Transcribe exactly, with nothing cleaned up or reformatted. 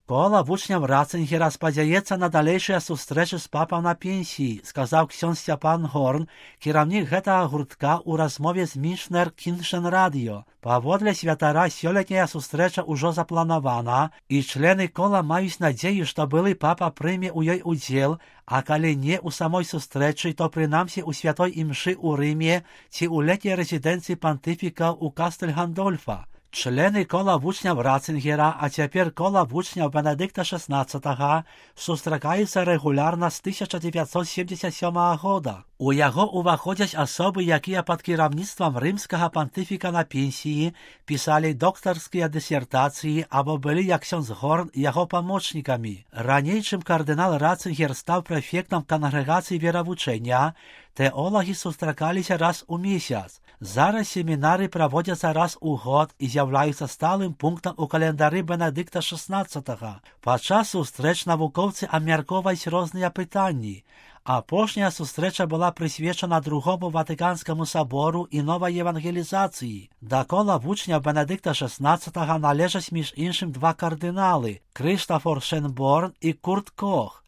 Кола вучняв Ратцингера сподяється на далейшие сустрэчы з папам на пенсії, сказав ксьон Степан Горн, кіраўнік гэтага гуртка ў размове з Мішнер Кіншен Радіо. Паводле святара сёлетняя сустрэча ўжо запланавана, і члены кола маюць надзею, што былы папа прыме ў ёй удзел, а калі не ў самой сустрэчы, то прынамсі ў святой імшы ў Рыме ці ў летняй рэзідэнцыі пантыфіка ў Кастель Гандольфа. Члены кола вучняў Ратцингера, а цяпер кола вучняў Бенедыкта шестнадцатага, сустракаюцца рэгулярна з тысяча дзевяцьсот семьдесят сёмага года. У яго ўваходзяць асобы, якія пад кіраўніцтвам рымскага пантыфіка на пенсіі пісалі доктарскія дысертацыі або былі, як ксёндз Горн, яго памочнікамі. Раней, чым кардынал Ратцингер стаў прэфектам кангрэгацыі веравучэння, тэолагі сустракаліся раз у месяц. Зараз семінары праводзяцца раз у год і з'яўляюцца сталым пунктам у календары Бенедыкта шестнадцатага. Падчас сустрэч навукоўцы абмяркоўваюць розныя пытанні. Апошняя сустрэча была прысвечана другому Ватыканскаму сабору і новай евангелізацыі. Да кола вучняў Бенедыкта шестнадцатага належаць між іншым два кардыналы – Крыштафор Шенборн і Курт Кох.